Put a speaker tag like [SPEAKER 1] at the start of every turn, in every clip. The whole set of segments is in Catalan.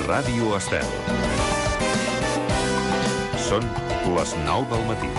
[SPEAKER 1] Ràdio Estel. Són les 9 del matí.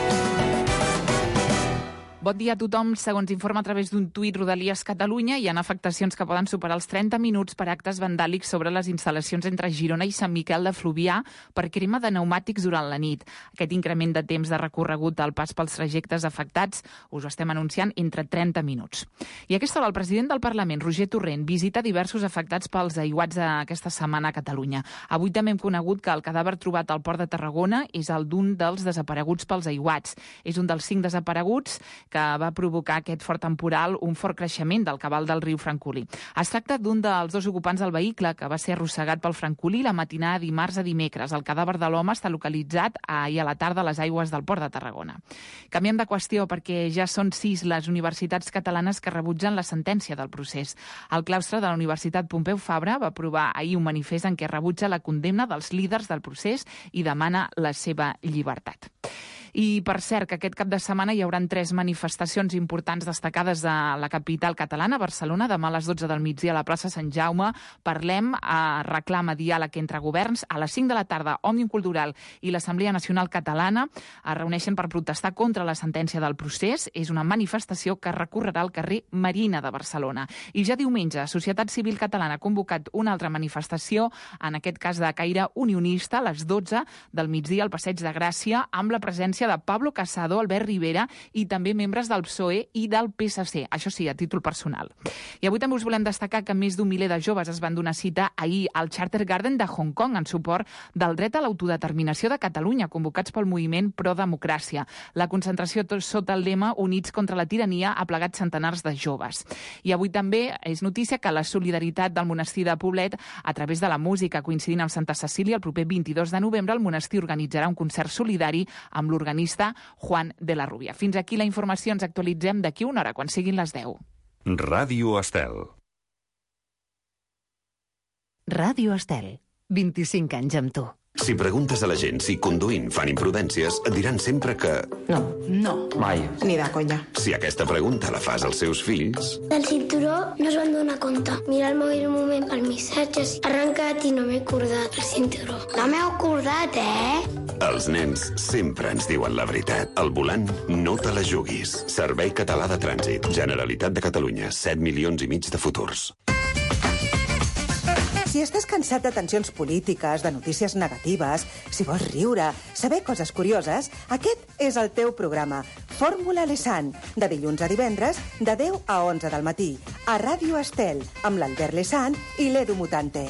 [SPEAKER 2] Bon dia a tothom. Segons informa a través d'un tuit Rodalies Catalunya, hi ha afectacions que poden superar els 30 minuts per actes vandàlics sobre les instal·lacions entre Girona i Sant Miquel de Fluvià per crema de pneumàtics durant la nit. Aquest increment de temps de recorregut al pas pels trajectes afectats us ho estem anunciant entre 30 minuts. I a aquesta hora el president del Parlament, Roger Torrent, visita diversos afectats pels aiguats aquesta setmana a Catalunya. Avui també hem conegut que el cadàver trobat al Port de Tarragona és el d'un dels desapareguts pels aiguats. És un dels 5 desapareguts que va provocar aquest fort temporal, un fort creixement del cabal del riu Francolí. Es tracta d'un dels 2 ocupants del vehicle que va ser arrossegat pel Francolí la matinada de dimarts a dimecres. El cadàver de l'home està localitzat ahir a la tarda a les aigües del Port de Tarragona. Canviem de qüestió perquè ja són 6 les universitats catalanes que rebutgen la sentència del procés. El claustre de la Universitat Pompeu Fabra va aprovar ahir un manifest en què rebutja la condemna dels líders del procés i demana la seva llibertat. I, per cert, que aquest cap de setmana hi haurà 3 manifestacions importants destacades a la capital catalana, Barcelona, demà a les 12 del migdia a la plaça Sant Jaume. Parlem, reclama diàleg entre governs. A les 5 de la tarda, Òmnium Cultural i l'Assemblea Nacional Catalana es reuneixen per protestar contra la sentència del procés. És una manifestació que recorrerà al carrer Marina de Barcelona. I ja diumenge, Societat Civil Catalana ha convocat una altra manifestació, en aquest cas de caire unionista, a les 12 del migdia al Passeig de Gràcia, amb la presència de Pablo Casado, Albert Rivera i també membres del PSOE i del PSC, això sí, a títol personal. I avui també us volem destacar que més d'un miler de joves es van donar cita ahir al Charter Garden de Hong Kong en suport del dret a l'autodeterminació de Catalunya, convocats pel moviment Pro-Democràcia. La concentració sota el lema Units contra la tirania ha plegat centenars de joves. I avui també és notícia que la solidaritat del monestir de Poblet, a través de la música coincidint amb Santa Cecília, el proper 22 de novembre el monestir organitzarà un concert solidari amb l'organista Juan de la Rubia. Fins aquí la informació, ens actualitzem d'aquí una hora, quan siguin les 10.
[SPEAKER 1] Ràdio Estel.
[SPEAKER 3] Ràdio Estel. 25 anys amb tu.
[SPEAKER 4] Si preguntes a la gent si conduint fan imprudències, et diran sempre que...
[SPEAKER 5] No.
[SPEAKER 6] Mai.
[SPEAKER 5] Ni de conya.
[SPEAKER 4] Si aquesta pregunta la fas als seus fills...
[SPEAKER 7] Del cinturó no es van donar compte. Mira el mòbil un moment per missatges. Ha arrencat i no m'he acordat el cinturó. No m'he acordat,
[SPEAKER 4] Els nens sempre ens diuen la veritat. Al volant, no te la juguis. Servei Català de Trànsit. Generalitat de Catalunya. 7,5 milions de futurs.
[SPEAKER 5] Si estàs cansat de tensions polítiques, de notícies negatives, si vols riure, saber coses curioses, aquest és el teu programa. Fórmula Lesan, de dilluns a divendres, de 10 a 11 del matí, a Ràdio Estel, amb l'Albert Lesan i l'Edu Mutante.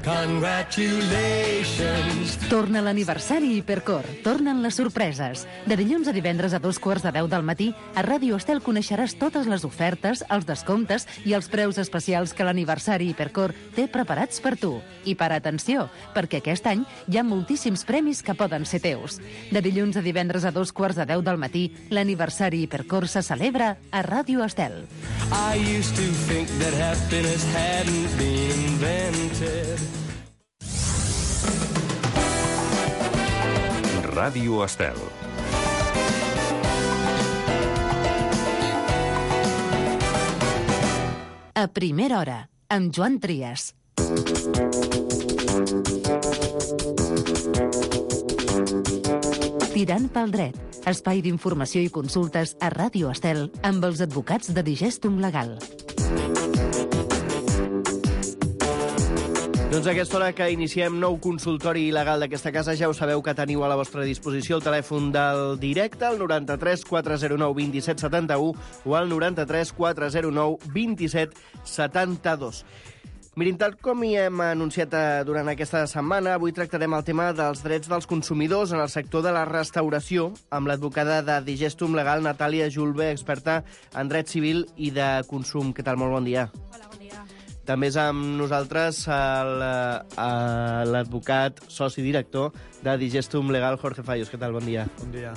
[SPEAKER 3] Congratulations! Torna l'aniversari Hipercor. Tornen les sorpreses. De dilluns a divendres a 2:45 del matí, a Ràdio Estel coneixeràs totes les ofertes, els descomptes i els preus especials que l'aniversari Hipercor té preparats per tu. I per atenció, perquè aquest any hi ha moltíssims premis que poden ser teus. De dilluns a divendres a 2:45 del matí, l'aniversari Hipercor se celebra a Ràdio Estel.
[SPEAKER 8] I used to think that happiness hadn't been invented.
[SPEAKER 1] Ràdio Estel.
[SPEAKER 3] A primera hora, amb Joan Trias. Tirant pel dret, espai d'informació i consultes a Ràdio Estel amb els advocats de Digestum Legal.
[SPEAKER 6] Doncs a aquesta hora que iniciem nou consultori legal d'aquesta casa, ja ho sabeu que teniu a la vostra disposició el telèfon del directe, el 93 409 27 71 o el 93 409 27 72. Mirin, tal com hi hem anunciat durant aquesta setmana, avui tractarem el tema dels drets dels consumidors en el sector de la restauració amb l'advocada de Digestum Legal, Natàlia Julve, experta en dret civil i de consum. Què tal? Molt bon dia.
[SPEAKER 2] Hola, bon dia.
[SPEAKER 6] També és amb nosaltres l'advocat, soci director de Digestum Legal, Jorge Fallos. Què tal? Bon dia.
[SPEAKER 9] Bon dia.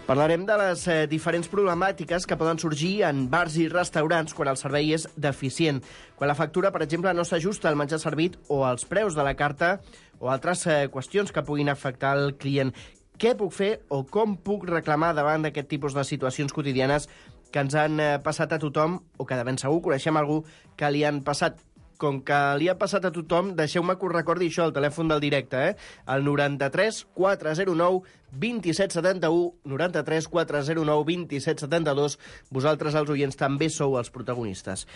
[SPEAKER 6] Parlarem de les diferents problemàtiques que poden sorgir en bars i restaurants quan el servei és deficient. Quan la factura, per exemple, no s'ajusta al menjar servit o als preus de la carta o altres qüestions que puguin afectar el client. Què puc fer o com puc reclamar davant d'aquest tipus de situacions quotidianes que ens han passat a tothom o que de ben segur coneixem algú que li han passat? com que li ha passat a tothom, deixeu-me que us recordi això, el telèfon del directe, el 93 409 2771, 93 409 2772. Vosaltres, els oients, també sou els protagonistes.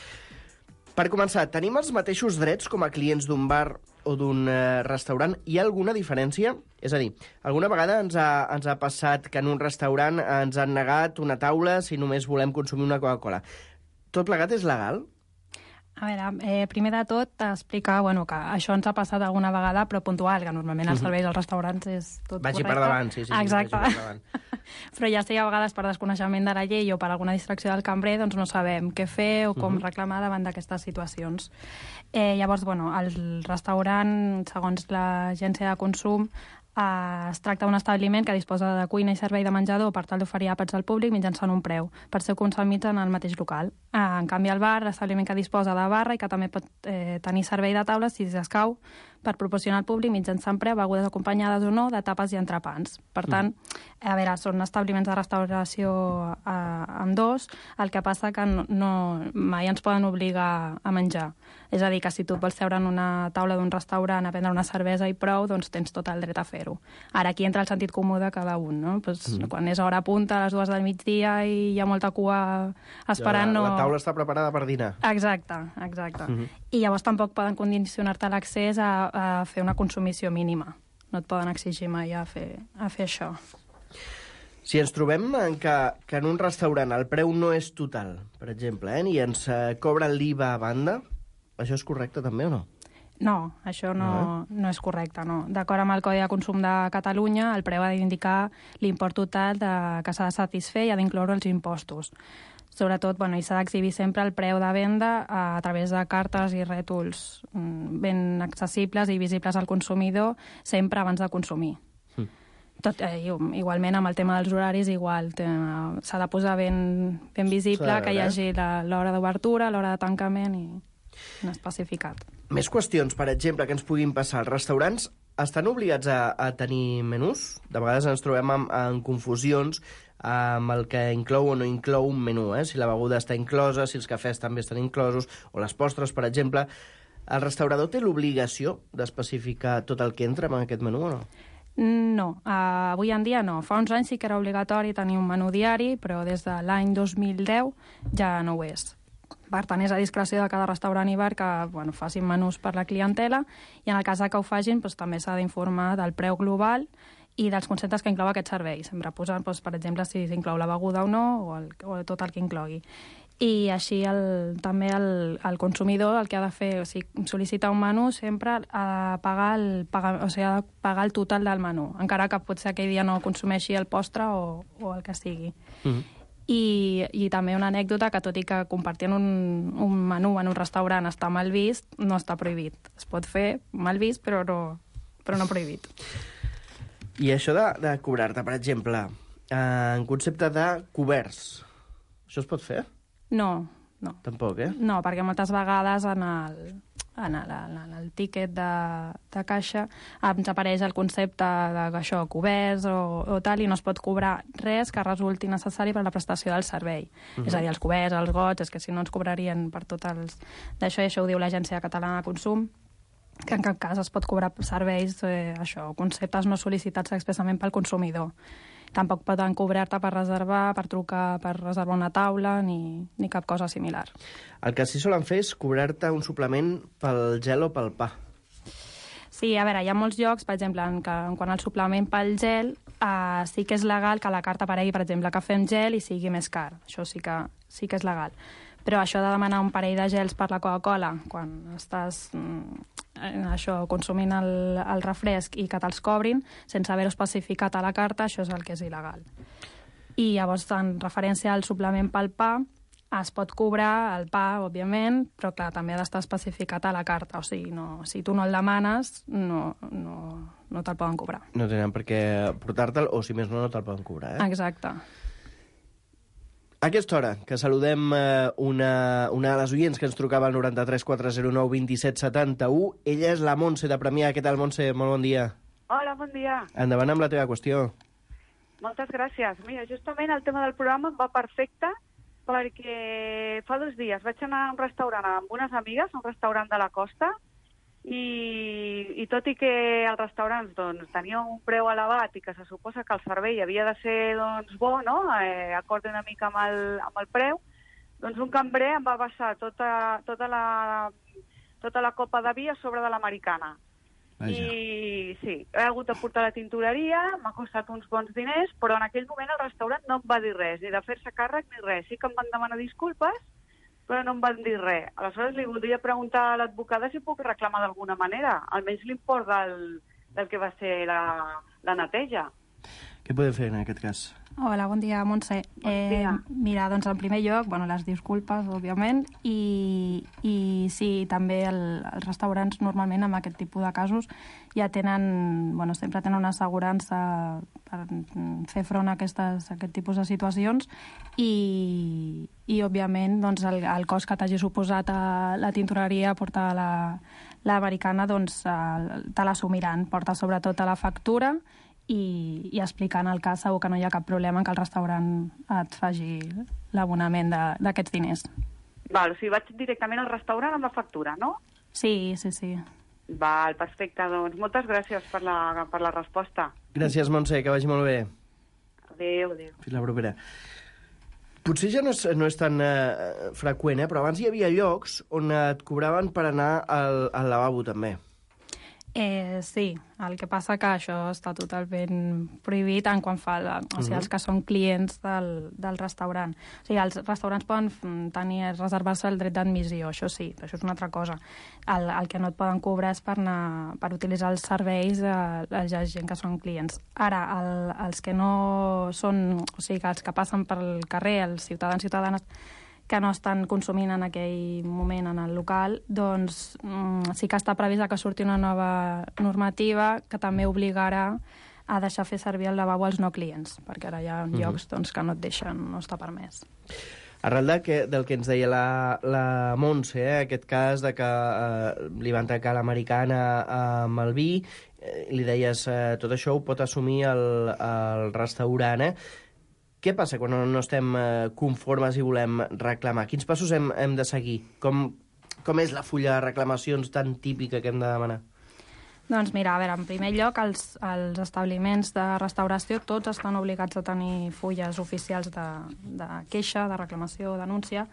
[SPEAKER 6] Per començar, tenim els mateixos drets com a clients d'un bar o d'un restaurant? Hi ha alguna diferència? És a dir, alguna vegada ens ha passat que en un restaurant ens han negat una taula si només volem consumir una Coca-Cola. Tot plegat és legal?
[SPEAKER 9] A veure, primer de tot, explicar que això ens ha passat alguna vegada, però puntual, que normalment els serveis als restaurants és tot
[SPEAKER 6] vagi
[SPEAKER 9] correcte.
[SPEAKER 6] Per davant, sí.
[SPEAKER 9] Exacte.
[SPEAKER 6] Vagi per davant.
[SPEAKER 9] Però ja sé, a vegades per desconeixement de la llei o per alguna distracció del cambrer, doncs no sabem què fer o com reclamar davant d'aquestes situacions. Llavors, el restaurant, segons l'Agència de Consum, es tracta d'un establiment que disposa de cuina i servei de menjador per tal d'oferir àpats al públic mitjançant un preu, per ser consumits en el mateix local. En canvi, el bar, l'establiment que disposa de barra i que també pot tenir servei de taules, si s'escau, per proporcionar al públic mitjançant preu begudes acompanyades o no de tapes i entrepans. Per tant, a veure, són establiments de restauració amb dos, el que passa que mai ens poden obligar a menjar. És a dir, que si tu vols seure en una taula d'un restaurant a prendre una cervesa i prou, doncs tens tot el dret a fer-ho. Ara aquí entra el sentit comú de cada un, no? Quan és hora punta, a les 2 del migdia i hi ha molta cua esperant...
[SPEAKER 6] La taula està preparada per dinar.
[SPEAKER 9] Exacte. I llavors tampoc poden condicionar-te l'accés a fer una consumició mínima. No et poden exigir mai a fer això.
[SPEAKER 6] Si ens trobem que en un restaurant el preu no és total, per exemple, i ens cobren l'IVA a banda, això és correcte també o no?
[SPEAKER 9] No, això no és correcte, no. D'acord amb el Codi de Consum de Catalunya, el preu ha d'indicar l'import total que s'ha de satisfer i ha d'incloure els impostos. Sobretot, i s'ha d'exhibir sempre el preu de venda a través de cartes i rètols ben accessibles i visibles al consumidor sempre abans de consumir. Igualment, amb el tema dels horaris, igual. S'ha de posar ben visible que hi hagi l'hora d'obertura, l'hora de tancament i no especificat.
[SPEAKER 6] Més qüestions, per exemple, que ens puguin passar. Els restaurants estan obligats a tenir menús? De vegades ens trobem en confusions amb el que inclou o no inclou un menú, si la beguda està inclosa, si els cafès també estan inclosos, o les postres, per exemple. El restaurador té l'obligació d'especificar tot el que entra en aquest menú o no?
[SPEAKER 9] No, avui en dia no. Fa uns anys sí que era obligatori tenir un menú diari, però des de l'any 2010 ja no ho és. Per tant, és a discreció de cada restaurant i bar que facin menús per la clientela i en el cas que ho facin també s'ha d'informar del preu global i dels conceptes que inclou aquest servei. Sempre posant, per exemple, si s'inclou la beguda o no o tot el que inclogui. I així també el consumidor el que ha de fer, si sol·licita un menú, sempre ha de pagar el total del menú, encara que potser aquell dia no consumeixi el postre o el que sigui. I també una anècdota que, tot i que compartint un menú en un restaurant està mal vist, no està prohibit. Es pot fer mal vist, però no prohibit.
[SPEAKER 6] I això de cobrar-te, per exemple, en concepte de coberts, això es pot fer?
[SPEAKER 9] No.
[SPEAKER 6] Tampoc,
[SPEAKER 9] No, perquè moltes vegades en el tíquet de caixa ens apareix el concepte d'això, coberts o tal, i no es pot cobrar res que resulti necessari per a la prestació del servei. És a dir, els coberts, els gots, és que si no ens cobrarien per tot els... D'això, i això ho diu l'Agència Catalana de Consum, que en cap cas es pot cobrar serveis, conceptes no sol·licitats expressament pel consumidor. Tampoc poden cobrar-te per reservar, per trucar, per reservar una taula, ni cap cosa similar.
[SPEAKER 6] El que sí solen fer és cobrar-te un suplement pel gel o pel pa.
[SPEAKER 9] Sí, a veure, hi ha molts llocs, per exemple, quan el suplement pel gel sí que és legal que a la carta aparegui, per exemple, cafè amb gel i sigui més car. Això sí que és legal. Però això de demanar un parell de gels per la Coca-Cola, quan estàs consumint el refresc i que te'ls cobrin, sense haver-ho especificat a la carta, això és el que és il·legal. I llavors, en referència al suplement pel pa, es pot cobrar el pa, òbviament, però clar, també ha d'estar especificat a la carta. O sigui, si tu no el demanes, no te'l poden cobrar.
[SPEAKER 6] No tenen per què portar-te'l, o si més no te'l poden cobrar,
[SPEAKER 9] Exacte.
[SPEAKER 6] A aquesta hora, que saludem una de les oients que ens trucava al 93 409 27 71. Ella és la Montse de Premià. Què tal, Montse? Molt bon dia.
[SPEAKER 10] Hola, bon dia.
[SPEAKER 6] Endavant amb la teva qüestió.
[SPEAKER 10] Moltes gràcies. Mira, justament el tema del programa em va perfecte perquè fa 2 dies vaig anar a un restaurant amb unes amigues, un restaurant de la costa, i tot i que el restaurant doncs, tenia un preu elevat i que se suposa que el servei havia de ser doncs, bo, no? Acord una mica amb el preu, doncs un cambrer em va vessar tota la copa de vi a sobre de l'americana. I sí, he hagut de portar la tintoreria, m'ha costat uns bons diners, però en aquell moment el restaurant no em va dir res, ni de fer-se càrrec ni res. Sí que em van demanar disculpes, però no em van dir res. Aleshores li voldria preguntar a l'advocada si puc reclamar d'alguna manera, almenys l'import del que va ser la neteja.
[SPEAKER 6] Què podem fer en aquest cas?
[SPEAKER 9] Hola, bon dia, Montse. Mira, doncs en primer lloc, les disculpes, òbviament, i sí, també els restaurants normalment amb aquest tipus de casos ja tenen, sempre tenen una assegurança per fer front a aquest tipus de situacions i òbviament, doncs, el cost que t'hagi suposat a la tintoreria portar l'americana, doncs, te l'assumiran. Porta sobretot a la factura i explicant el cas segur que no hi ha cap problema que el restaurant et faci l'abonament d'aquests diners.
[SPEAKER 10] Val, o sigui, vaig directament al restaurant amb la factura, no?
[SPEAKER 9] Sí.
[SPEAKER 10] Val, perfecte, doncs moltes gràcies per la resposta.
[SPEAKER 6] Gràcies, Montse, que vagi molt bé.
[SPEAKER 10] Adéu.
[SPEAKER 6] Fins la propera. Potser ja no és tan freqüent, però abans hi havia llocs on et cobraven per anar al lavabo, també.
[SPEAKER 9] Sí, el que passa que això està totalment prohibit en quan fa els que són clients del restaurant. O sigui, els restaurants poden reservar-se el dret d'admissió, això sí, però això és una altra cosa. El que no et poden cobrar és per utilitzar els serveis de la gent que són clients. Ara, els que no són, o sigui, els que passen pel carrer, els ciutadans i ciutadanes que no estan consumint en aquell moment en el local, doncs sí que està previst que surti una nova normativa que també obligarà a deixar fer servir el lavabo als no clients, perquè ara hi ha llocs que no et deixen, no està permès.
[SPEAKER 6] Arrel del que ens deia la Montse, aquest cas de que li van tancar l'americana amb el vi, li deies tot això ho pot assumir el restaurant, Què passa quan no estem conformes i volem reclamar? Quins passos hem de seguir? Com és la fulla de reclamacions tan típica que hem de demanar?
[SPEAKER 9] Doncs mira, a veure, en primer lloc, els establiments de restauració tots estan obligats a tenir fulles oficials de queixa, de reclamació, denúncia,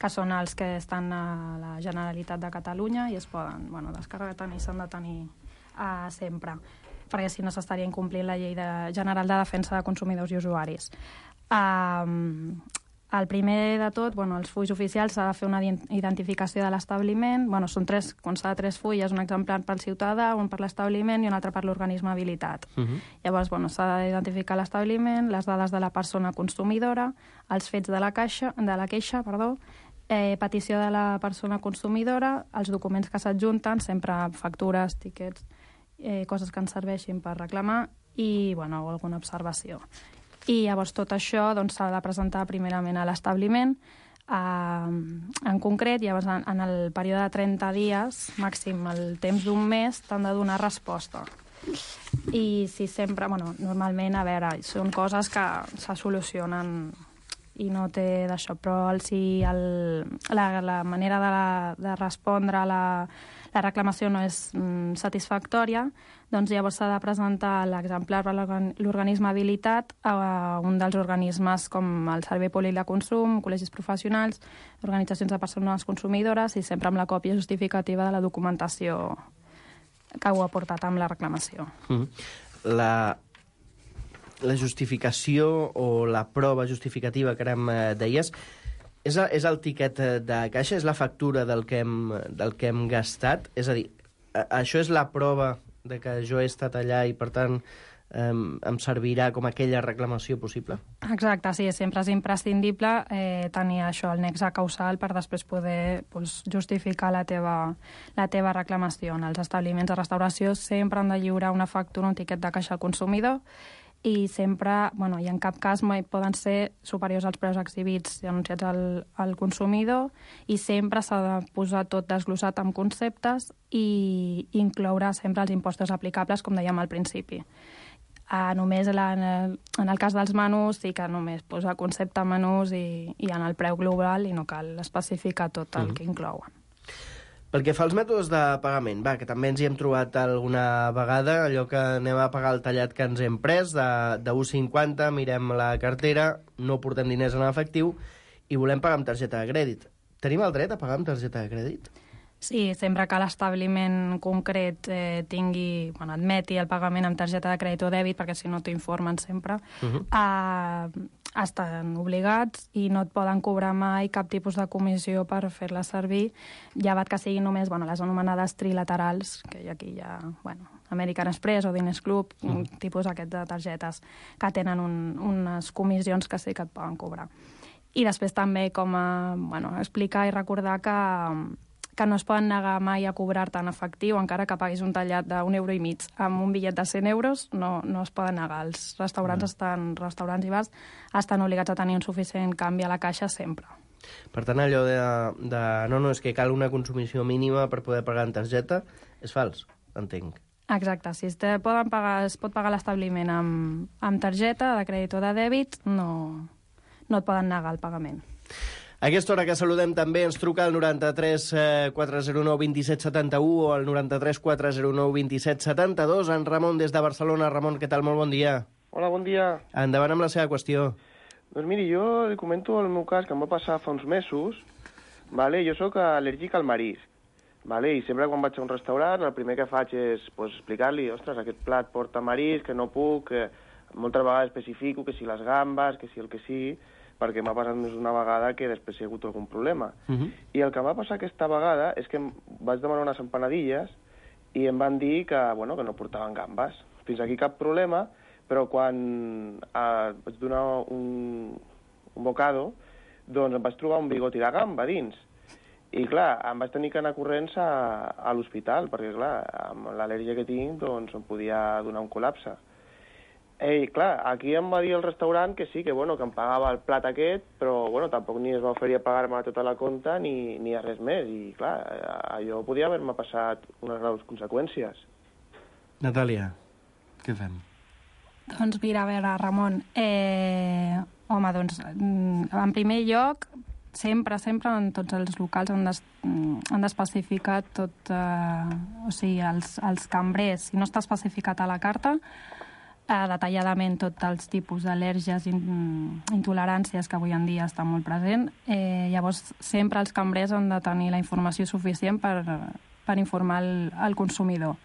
[SPEAKER 9] que són els que estan a la Generalitat de Catalunya i es poden descarregar i s'han de tenir sempre, perquè si no s'estaria incomplint la Llei General de Defensa de Consumidors i Usuaris. El primer de tot, els fulls oficials s'ha de fer una identificació de l'establiment. Són consta de 3 fulles, un exemplar pel ciutadà, un per l'establiment i un altre per l'organisme habilitat. Llavors, s'ha d'identificar l'establiment, les dades de la persona consumidora, els fets de la queixa, petició de la persona consumidora, els documents que s'adjunten, sempre factures, tíquets, coses que ens serveixin per reclamar i alguna observació. I llavors tot això s'ha de presentar primerament a l'establiment. En concret, llavors en el període de 30 dies, màxim el temps d'un mes, t'han de donar resposta. I si sempre, normalment, a veure, són coses que se solucionen i no té d'això, però si la manera de respondre a la reclamació no és satisfactòria, doncs llavors s'ha de presentar l'exemplar per l'organisme habilitat a un dels organismes com el Servei Públic de Consum, col·legis professionals, organitzacions de persones consumidores i sempre amb la còpia justificativa de la documentació que ho ha portat amb la reclamació.
[SPEAKER 6] La justificació o la prova justificativa que ara deies és el tiquet de caixa, és la factura del que hem gastat? És a dir, això és la prova de que jo he estat allà i, per tant, em servirà com aquella reclamació possible?
[SPEAKER 9] Exacte, sí, sempre és imprescindible tenir això, el nexe causal, per després poder justificar la teva reclamació. En els establiments de restauració sempre han de lliurar una factura, un tiquet de caixa al consumidor, i sempre, i en cap cas mai poden ser superiors als preus exhibits i anunciats al consumidor, i sempre s'ha de posar tot desglossat amb conceptes i incloure sempre els impostos aplicables, com dèiem al principi. Només en el cas dels menús sí que només posa concepte menús i en el preu global i no cal especificar tot el que inclouen.
[SPEAKER 6] Pel que fa als mètodes de pagament, que també ens hi hem trobat alguna vegada, allò que anem a pagar el tallat que ens hem pres de 1,50, mirem la cartera, no portem diners en efectiu i volem pagar amb targeta de crèdit. Tenim el dret a pagar amb targeta de crèdit?
[SPEAKER 9] Sí, sempre que l'establiment concret admeti el pagament amb targeta de crèdit o dèbit, perquè si no t'informen sempre, estan obligats i no et poden cobrar mai cap tipus de comissió per fer-la servir, llevat que siguin només les anomenades trilaterals, que aquí hi ha American Express o Diners Club, tipus aquest de targetes que tenen unes comissions que sí que et poden cobrar. I després també explicar i recordar que no es poden negar mai a cobrar-te en efectiu, encara que paguis un tallat d'1,50 € amb un bitllet de 100 euros, no es poden negar. Els restaurants i bars estan obligats a tenir un suficient canvi a la caixa sempre.
[SPEAKER 6] Per tant, allò no, és que cal una consumició mínima per poder pagar en targeta, és fals, entenc.
[SPEAKER 9] Exacte, si es pot pagar l'establiment amb targeta de crèdit o de dèbit, no et poden negar el pagament.
[SPEAKER 6] A aquesta hora que saludem també ens truca al 93 409 27 71 o al 93 409 27 72 en Ramon des de Barcelona. Ramon, què tal? Molt bon dia.
[SPEAKER 11] Hola, bon dia.
[SPEAKER 6] Endavant amb la seva qüestió.
[SPEAKER 11] Doncs miri, jo li comento el meu cas que em va passar fa uns mesos. Jo sóc al·lèrgic al marisc. I sempre quan vaig a un restaurant el primer que faig és explicar-li ostres, aquest plat porta marisc, que no puc, que moltes vegades especifico que si les gambes, que si el que sigui, perquè m'ha passat més una vegada que després hi ha hagut algun problema. I el que va passar aquesta vegada és que vaig demanar unes empanadilles i em van dir que no portaven gambes. Fins aquí cap problema, però quan vaig donar un bocado, doncs em vaig trobar un bigoti de gamba dins. I clar, em vaig tenir que anar corrents a l'hospital, perquè clar, amb l'al·lèrgia que tinc, doncs em podia donar un col·lapse. Clar, aquí em va dir el restaurant que sí, que em pagava el plat aquest, però tampoc ni es va oferir a pagar-me tota la compta ni a res més. I clar, allò podia haver-me passat unes graus conseqüències.
[SPEAKER 6] Natàlia, què fem?
[SPEAKER 9] Doncs mira, a veure, Ramon, en primer lloc, sempre en tots els locals han d'especificar tot, els cambrers, si no està especificat a la carta, detalladament tots els tipus d'al·lèrgies i intoleràncies que avui en dia estan molt present. Llavors, sempre els cambrers han de tenir la informació suficient per informar el consumidor.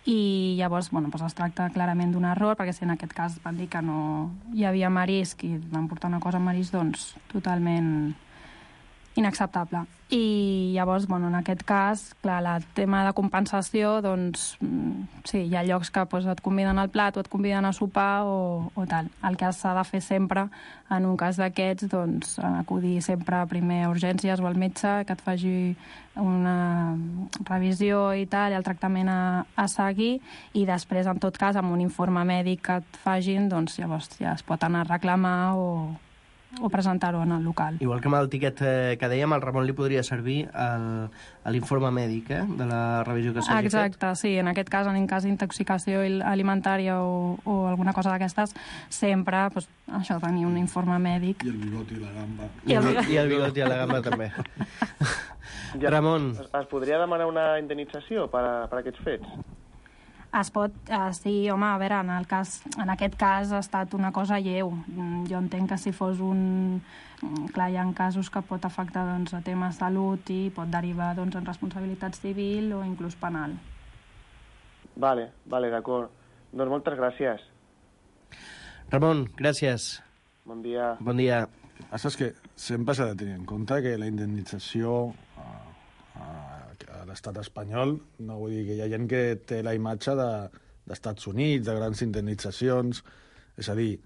[SPEAKER 9] I llavors, es tracta clarament d'un error, perquè si en aquest cas van dir que no hi havia marisc i van portar una cosa amb marisc, doncs totalment inacceptable. I llavors, en aquest cas, clar, el tema de compensació, doncs, sí, hi ha llocs que et conviden al plat o et conviden a sopar o tal. El que s'ha de fer sempre, en un cas d'aquests, doncs, acudir sempre primer a urgències o al metge, que et faci una revisió i tal, i el tractament a seguir, i després, en tot cas, amb un informe mèdic que et fagin, doncs, llavors ja es pot anar a reclamar o presentar-ho en el local.
[SPEAKER 6] Igual que amb el tiquet que dèiem, al Ramon li podria servir l'informe mèdic de la revisió que s'hagi fet.
[SPEAKER 9] Exacte, sí. En aquest cas, en cas d'intoxicació alimentària o alguna cosa d'aquestes, sempre això, tenir un informe mèdic.
[SPEAKER 12] I el bigoti i la gamba.
[SPEAKER 6] I el bigoti i la gamba també. Ramon.
[SPEAKER 11] Es podria demanar una indemnització per aquests fets?
[SPEAKER 9] Es pot, sí, home, a veure, en aquest cas ha estat una cosa lleu. Jo entenc que si fos clar, hi ha casos que pot afectar a temes de salut i pot derivar en responsabilitat civil o inclús penal.
[SPEAKER 11] Vale, d'acord. Doncs moltes gràcies.
[SPEAKER 6] Ramon, gràcies.
[SPEAKER 11] Bon dia.
[SPEAKER 6] Bon dia.
[SPEAKER 12] El que passa és que sempre s'ha de tenir en compte que la indemnització a l'estat espanyol, no vull dir que hi ha gent que té la imatge d'Estats Units, de grans indemnitzacions, és a dir,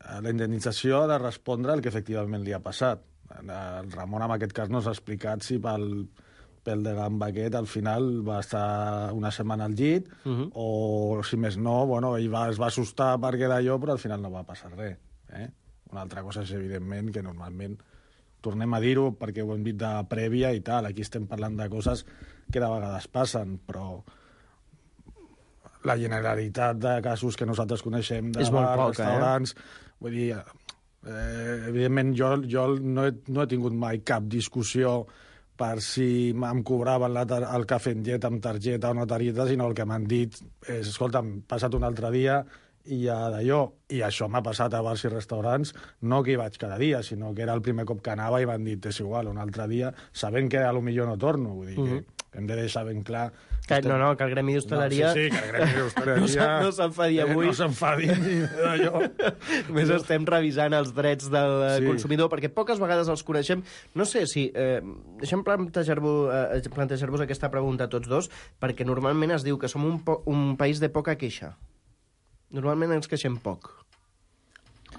[SPEAKER 12] la indemnització ha de respondre al que efectivament li ha passat. El Ramon en aquest cas no s'ha explicat si pel pèl de gamba aquest al final va estar una setmana al llit o si més no, ell es va assustar perquè d'allò, però al final no va passar res. Una altra cosa és evidentment que normalment tornem a dir-ho perquè ho hem dit de prèvia i tal. Aquí estem parlant de coses que de vegades passen, però la generalitat de casos que nosaltres coneixem de
[SPEAKER 6] És molt
[SPEAKER 12] bars,
[SPEAKER 6] poca,
[SPEAKER 12] restaurants... Vull dir, evidentment, jo no he tingut mai cap discussió per si em cobraven el cafè en llet amb targeta o no targeta, sinó el que m'han dit és, escolta, hem passat un altre dia i ja d'allò. I això m'ha passat a bars i restaurants, no que hi vaig cada dia, sinó que era el primer cop que anava i m'han dit, és igual, un altre dia, sabent que potser no torno. Vull dir que hem de deixar ben clar...
[SPEAKER 6] Que el gremi d'hostaleria...
[SPEAKER 12] Sí, que el gremi d'hostaleria...
[SPEAKER 6] no s'enfadi avui.
[SPEAKER 12] No s'enfadi ni d'allò.
[SPEAKER 6] Més estem revisant els drets del consumidor, perquè poques vegades els coneixem. No sé si... deixem plantejar-vos aquesta pregunta a tots dos, perquè normalment es diu que som un país de poca queixa. Normalment ens queixem poc.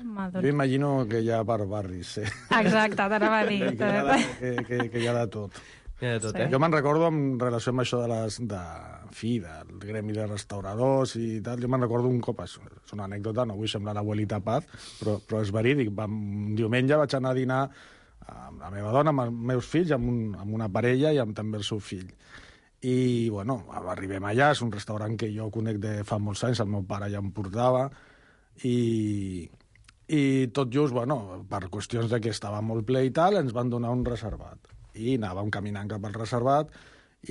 [SPEAKER 12] Jo imagino que hi ha per barris, sí.
[SPEAKER 9] Exacte, t'anava a dir.
[SPEAKER 12] Que hi ha de tot. Jo me'n recordo en relació amb això del gremi de restauradors i tal, jo me'n recordo un cop, és una anècdota, no vull semblar l'abuelita Paz, però és verídic. Un diumenge vaig anar a dinar amb la meva dona, amb els meus fills, amb una parella i amb també el seu fill. I, bueno, arribem allà, és un restaurant que jo conec de fa molts anys, el meu pare ja em portava, i tot just, bueno, per qüestions de que estava molt ple i tal, ens van donar un reservat. I anàvem caminant cap al reservat,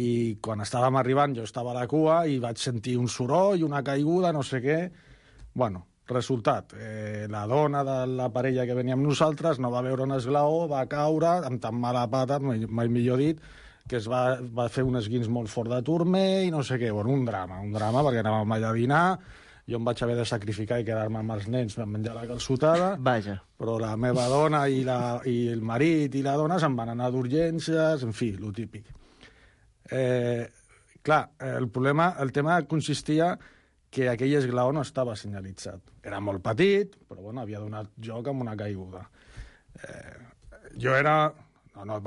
[SPEAKER 12] i quan estàvem arribant jo estava a la cua i vaig sentir un soroll, una caiguda, no sé què. Bueno, resultat, la dona de la parella que venia amb nosaltres no va veure un esglaó, va caure amb tan mala pata, mai millor dit, que es va fer un esguins molt fort de turmell i no sé què. Bueno, un drama, perquè anàvem allà a dinar, jo em vaig haver de sacrificar i quedar-me amb els nens per menjar la calçotada.
[SPEAKER 6] Vaja. Però
[SPEAKER 12] la meva dona i el marit i la dona se'n van anar d'urgències, en fi, lo típic. Clar, el tema consistia que aquell esglaó no estava senyalitzat. Era molt petit, però bueno, havia donat joc amb una caiguda. Jo era... No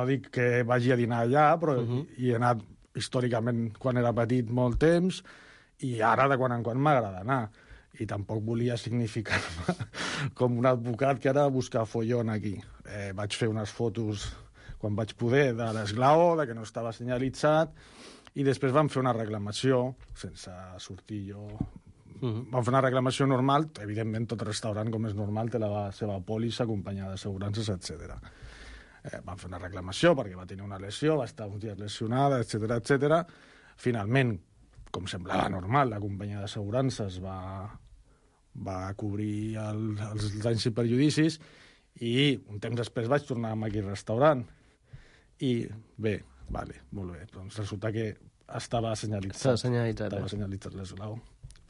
[SPEAKER 12] dic que vagi a dinar allà, però hi he anat històricament quan era petit molt temps, i ara de quan en quan m'agrada anar. I tampoc volia significar-me com un advocat que ara buscar follon aquí. Vaig fer unes fotos quan vaig poder de l'esglaó, de que no estava senyalitzat, i després vam fer una reclamació, sense sortir jo... Vam fer una reclamació normal, evidentment tot restaurant, com és normal, té la seva pòlissa acompanyada d'assegurances, etc. Vam fer una reclamació perquè va tenir una lesió, va estar uns dies lesionada, etc. Finalment, com semblava normal, la companyia d'assegurances va cobrir els danys i perjudicis, i un temps després vaig tornar a aquell restaurant. I bé, molt bé, doncs resulta que estava senyalitzat. Estava senyalitzat l'esglaó.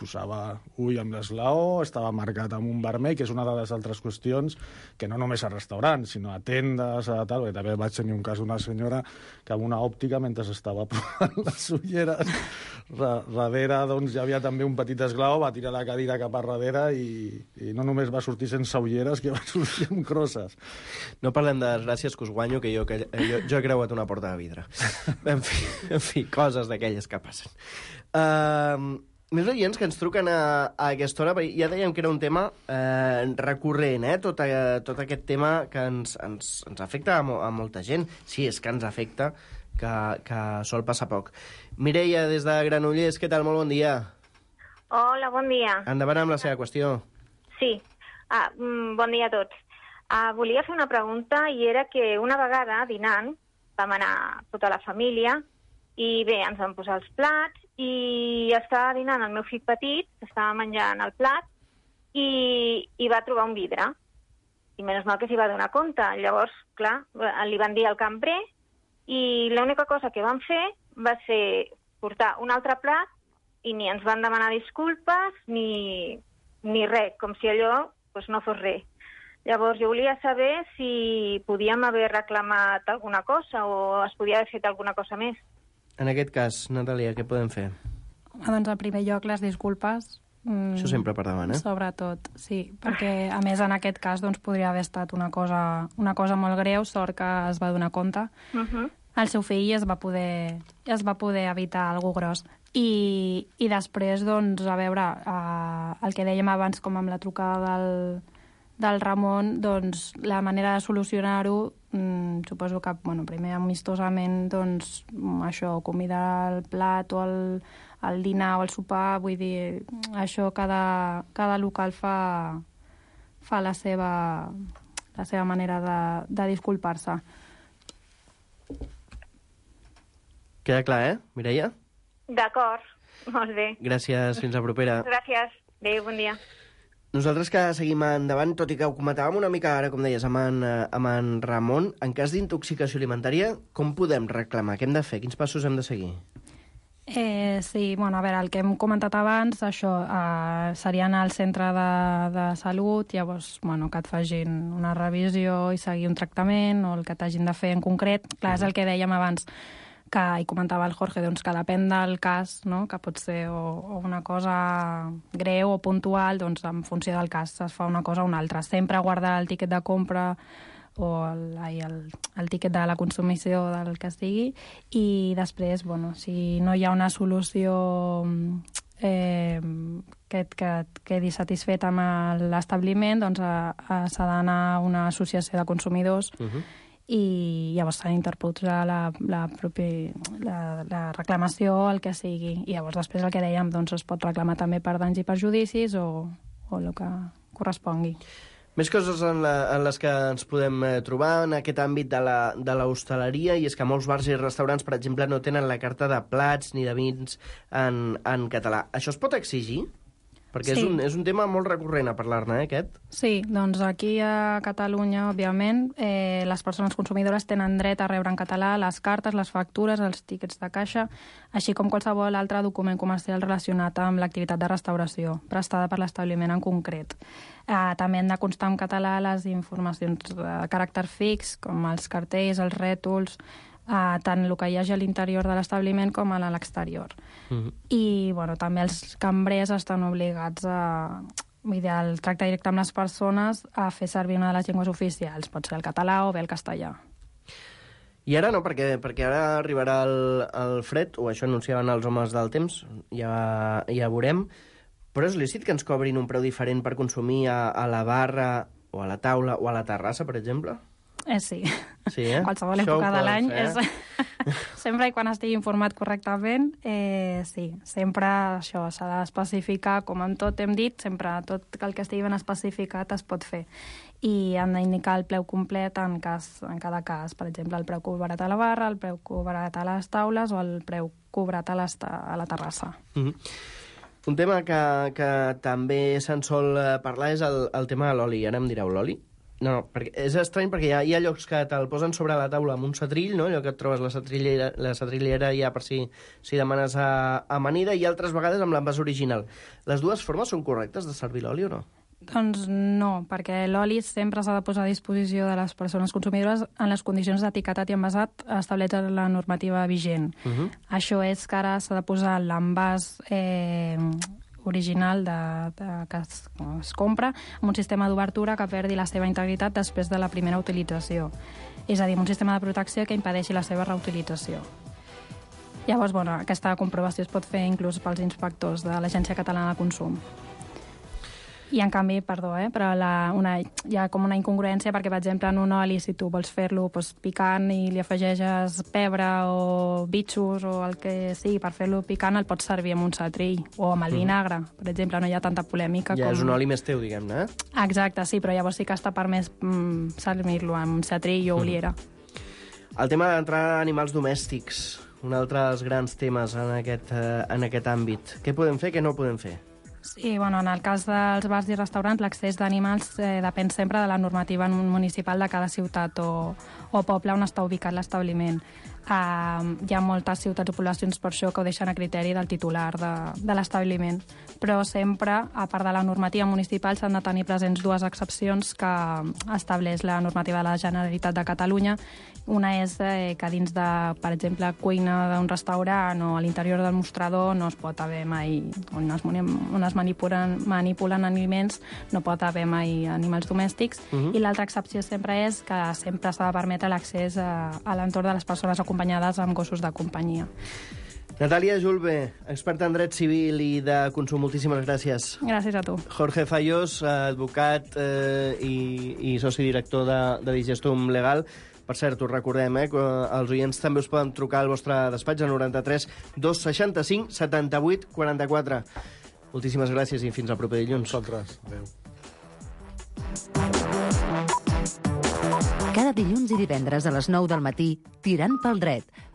[SPEAKER 12] Posava ull amb l'esglaó, estava marcat amb un vermell, que és una de les altres qüestions que no només a restaurants, sinó a tendes, a tal, perquè també vaig tenir un cas d'una senyora que amb una òptica, mentre estava provant les ulleres, darrere doncs, hi havia també un petit esglaó, va tirar la cadira cap a darrere i no només va sortir sense ulleres, que va sortir amb crosses.
[SPEAKER 6] No parlem de desgràcies que us guanyo, que jo he creuat una porta de vidre. En fi, coses d'aquelles que passen. Més oients que ens truquen a aquesta hora, ja dèiem que era un tema recurrent, tot aquest tema que ens afecta a molta gent. Sí, és que ens afecta, que sol passar poc. Mireia, des de Granollers, què tal? Molt bon dia.
[SPEAKER 13] Hola, bon dia.
[SPEAKER 6] Endavant amb la seva qüestió.
[SPEAKER 13] Sí, bon dia a tots. Volia fer una pregunta, i era que una vegada, dinant, vam anar tota la família, i bé, ens vam posar els plats, i estava dinant el meu fill petit, estava menjant el plat, i va trobar un vidre. I menys mal que s'hi va donar compte. Llavors, clar, li van dir al cambrer, i l'única cosa que van fer va ser portar un altre plat, i ni ens van demanar disculpes, ni res, com si allò no fos res. Llavors, jo volia saber si podíem haver reclamat alguna cosa o es podia haver fet alguna cosa més.
[SPEAKER 6] En aquest cas, Natàlia, què podem fer?
[SPEAKER 9] Doncs, en primer lloc, les disculpes.
[SPEAKER 6] Això sempre per davant,
[SPEAKER 9] Sobretot, sí, perquè, a més, en aquest cas, doncs, podria haver estat una cosa molt greu, sort que es va donar compte. El seu fill es va poder evitar alguna gros. I després, doncs, a veure, el que dèiem abans, com amb la trucada del Ramon, doncs la manera de solucionar-ho, suposo que primer amistosament, doncs això, convidar el plat o el dinar o el sopar, vull dir, això cada local fa la seva manera de disculpar-se.
[SPEAKER 6] Queda clar, Mireia?
[SPEAKER 13] D'acord, molt bé.
[SPEAKER 6] Gràcies, fins la propera.
[SPEAKER 13] Gràcies. Adéu, bon dia.
[SPEAKER 6] Nosaltres que seguim endavant, tot i que ho comentàvem una mica ara, com deies, amb en Ramon, en cas d'intoxicació alimentària, com podem reclamar? Què hem de fer? Quins passos hem de seguir?
[SPEAKER 9] Sí, a veure, el que hem comentat abans, això, seria anar al centre de salut, llavors, que et facin una revisió i seguir un tractament, o el que t'hagin de fer en concret. Clar, és el que dèiem abans, que hi comentava el Jorge, doncs que depèn del cas, no? Que pot ser o una cosa greu o puntual, doncs en funció del cas es fa una cosa o una altra. Sempre guardar el tiquet de compra o el tiquet de la consumició del que sigui, i després, si no hi ha una solució que et quedi satisfet amb l'establiment, doncs s'ha d'anar a una associació de consumidors i llavors s'ha d'interposar la reclamació, el que sigui. I llavors després el que dèiem, doncs es pot reclamar també per danys i perjudicis o el que correspongui.
[SPEAKER 6] Més coses en les que ens podem trobar en aquest àmbit de l'hostaleria, i és que molts bars i restaurants, per exemple, no tenen la carta de plats ni de vins en català. Això es pot exigir? Perquè sí. És un tema molt recurrent a parlar-ne, aquest?
[SPEAKER 9] Sí, doncs aquí a Catalunya, òbviament, les persones consumidores tenen dret a rebre en català les cartes, les factures, els tíquets de caixa, així com qualsevol altre document comercial relacionat amb l'activitat de restauració, prestada per l'establiment en concret. També han de constar en català les informacions de caràcter fix, com els cartells, els rètols, tant el que hi hagi a l'interior de l'establiment com a l'exterior. I també els cambrers estan obligats al tracte directe amb les persones a fer servir una de les llengües oficials, pot ser el català o bé el castellà.
[SPEAKER 6] I ara no, perquè ara arribarà el fred, o això anunciaven els homes del temps, ja veurem, però és lícit que ens cobrin un preu diferent per consumir a la barra o a la taula o a la terrassa, per exemple?
[SPEAKER 9] Sí.
[SPEAKER 6] Sí,
[SPEAKER 9] Qualsevol època de l'any. Sempre i quan estigui informat correctament, sí. Sempre això s'ha d'especificar, com en tot hem dit, sempre tot el que estigui ben especificat es pot fer. I han d'indicar el preu complet en cada cas. Per exemple, el preu cobrat a la barra, el preu cobrat a les taules o el preu cobrat a la terrassa.
[SPEAKER 6] Un tema que també se'n sol parlar és el tema de l'oli. Ara em direu, l'oli? No, perquè és estrany perquè hi ha llocs que te'l posen sobre la taula amb un setrill, no? Allò que et trobes la setrillera ja per si demanes amanida, i altres vegades amb l'envàs original. Les dues formes són correctes de servir l'oli o no?
[SPEAKER 9] Doncs no, perquè l'oli sempre s'ha de posar a disposició de les persones consumidores en les condicions d'etiquetat i envasat establertes en la normativa vigent. Això és que ara s'ha de posar l'envàs original que es compra amb un sistema d'obertura que perdi la seva integritat després de la primera utilització. És a dir, un sistema de protecció que impedeixi la seva reutilització. Llavors, aquesta comprovació es pot fer inclús pels inspectors de l'Agència Catalana de Consum. I, en canvi, però hi ha com una incongruència perquè, per exemple, en un oli, si tu vols fer-lo picant i li afegeixes pebre o bitxos o el que sigui per fer-lo picant, el pots servir amb un setrill o amb el vinagre. Per exemple, no hi ha tanta polèmica com...
[SPEAKER 6] Ja és un oli més teu, diguem-ne,
[SPEAKER 9] Exacte, sí, però llavors sí que està permès servir-lo amb setrill o oliera.
[SPEAKER 6] El tema d'entrar animals domèstics, un altre dels grans temes en aquest àmbit. Què podem fer, què no podem fer?
[SPEAKER 9] Sí, en el cas dels bars i restaurants, l'accés d'animals depèn sempre de la normativa municipal de cada ciutat o poble on està ubicat l'establiment. Hi ha moltes ciutats o poblacions per això que ho deixen a criteri del titular de l'establiment. Però sempre, a part de la normativa municipal, s'han de tenir presents dues excepcions que estableix la normativa de la Generalitat de Catalunya. Una és que dins de, per exemple, cuina d'un restaurant o a l'interior del mostrador no es pot haver mai, on es manipulen aliments, no pot haver mai animals domèstics. I l'altra excepció sempre és que sempre s'ha de permetre l'accés a l'entorn de les persones acompanyades amb gossos de companyia.
[SPEAKER 6] Natàlia Julve, experta en dret civil i de consum, moltíssimes gràcies.
[SPEAKER 9] Gràcies a tu.
[SPEAKER 6] Jorge Fallos, advocat i soci director de Digestum Legal. Per cert, us recordem que els oients també us poden trucar al vostre despatx al 93 265 78 44. Moltíssimes gràcies i fins al proper dilluns.
[SPEAKER 12] Nosaltres. Adéu.
[SPEAKER 3] Cada dilluns i divendres a les 9 del matí, Tirant pel dret,